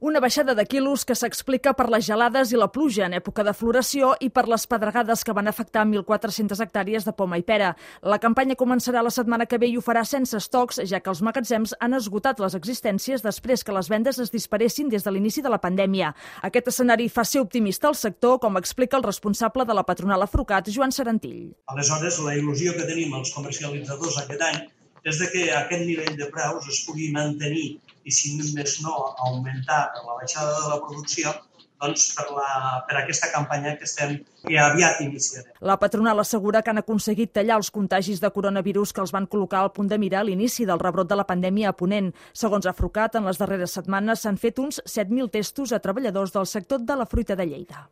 Una baixada de quilos que s'explica per les gelades i la pluja en època de floració i per les pedregades que van afectar 1.400 hectàrees de poma i pera. La campanya començarà la setmana que ve i ho farà sense estocs, ja que els magatzems han esgotat les existències després que les vendes es disparessin des de l'inici de la pandèmia. Aquest escenari fa ser optimista al sector, com explica el responsable de la patronal Afrucat, Joan Serantill. Aleshores, la il·lusió que tenim els comercialitzadors aquest any és que aquest nivell de preus es pugui mantenir i, si més no, augmentar per la baixada de la producció, doncs per aquesta campanya que aviat iniciarem. La patronal assegura que han aconseguit tallar els contagis de coronavirus que els van col·locar al punt de mira a l'inici del rebrot de la pandèmia a Ponent. Segons Afrucat, en les darreres setmanes s'han fet uns 7.000 testos a treballadors del sector de la fruita de Lleida.